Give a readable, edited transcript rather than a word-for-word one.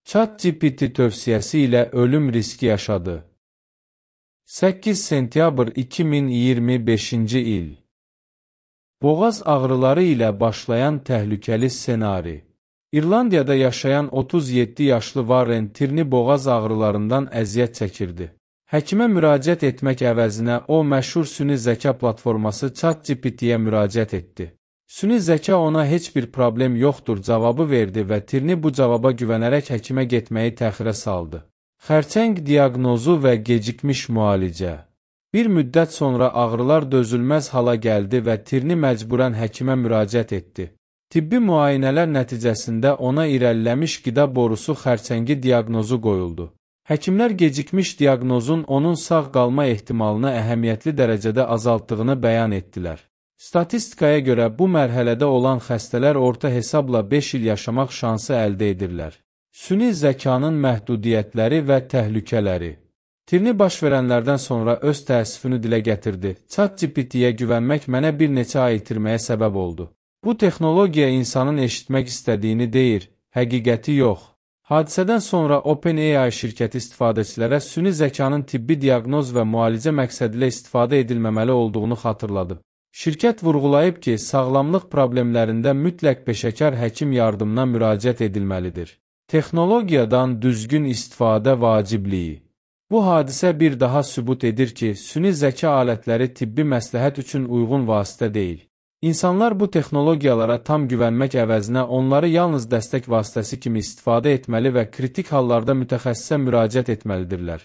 ChatGPT tövsiyəsi ilə ölüm riski yaşadı. 8 sentyabr 2025-ci il. Boğaz ağrıları ilə başlayan təhlükəli ssenari. İrlandiyada yaşayan 37 yaşlı Warren Tierney boğaz ağrılarından əziyyət çəkirdi. Həkimə müraciət etmək əvəzinə o məşhur süni zəka platforması ChatGPT-yə müraciət etdi. Süni zəka ona heç bir problem yoxdur cavabı verdi və Tierney bu cavaba güvənərək həkimə getməyi təxirə saldı. Xərçəng diaqnozu və gecikmiş müalicə. Bir müddət sonra ağrılar dözülməz hala gəldi və Tierney məcburən həkimə müraciət etdi. Tibbi müayinələr nəticəsində ona irəliləmiş qida borusu xərçəngi diaqnozu qoyuldu. Həkimlər gecikmiş diaqnozun onun sağ qalma ehtimalını əhəmiyyətli dərəcədə azaltdığını bəyan etdilər. Statistikaya görə bu mərhələdə olan xəstələr orta hesabla 5 il yaşamaq şansı əldə edirlər. Süni zəkanın məhdudiyyətləri və təhlükələri. Tierney baş verənlərdən sonra öz təəssüfünü dilə gətirdi. ChatGPT-yə güvənmək mənə bir neçə ay itirməyə səbəb oldu. Bu texnologiya insanın eşitmək istədiyini deyir, həqiqəti yox. Hadisədən sonra OpenAI şirkəti istifadəçilərə süni zəkanın tibbi diaqnoz və müalicə məqsədilə istifadə edilməməli olduğunu xatırladı. Şirkət vurğulayıb ki, sağlamlıq problemlərində mütləq peşəkar həkim yardımına müraciət edilməlidir. Texnologiyadan düzgün istifadə vacibliyi. Bu hadisə bir daha sübut edir ki, süni zəka alətləri tibbi məsləhət üçün uyğun vasitə deyil. İnsanlar bu texnologiyalara tam güvənmək əvəzinə onları yalnız dəstək vasitəsi kimi istifadə etməli və kritik hallarda mütəxəssisə müraciət etməlidirlər.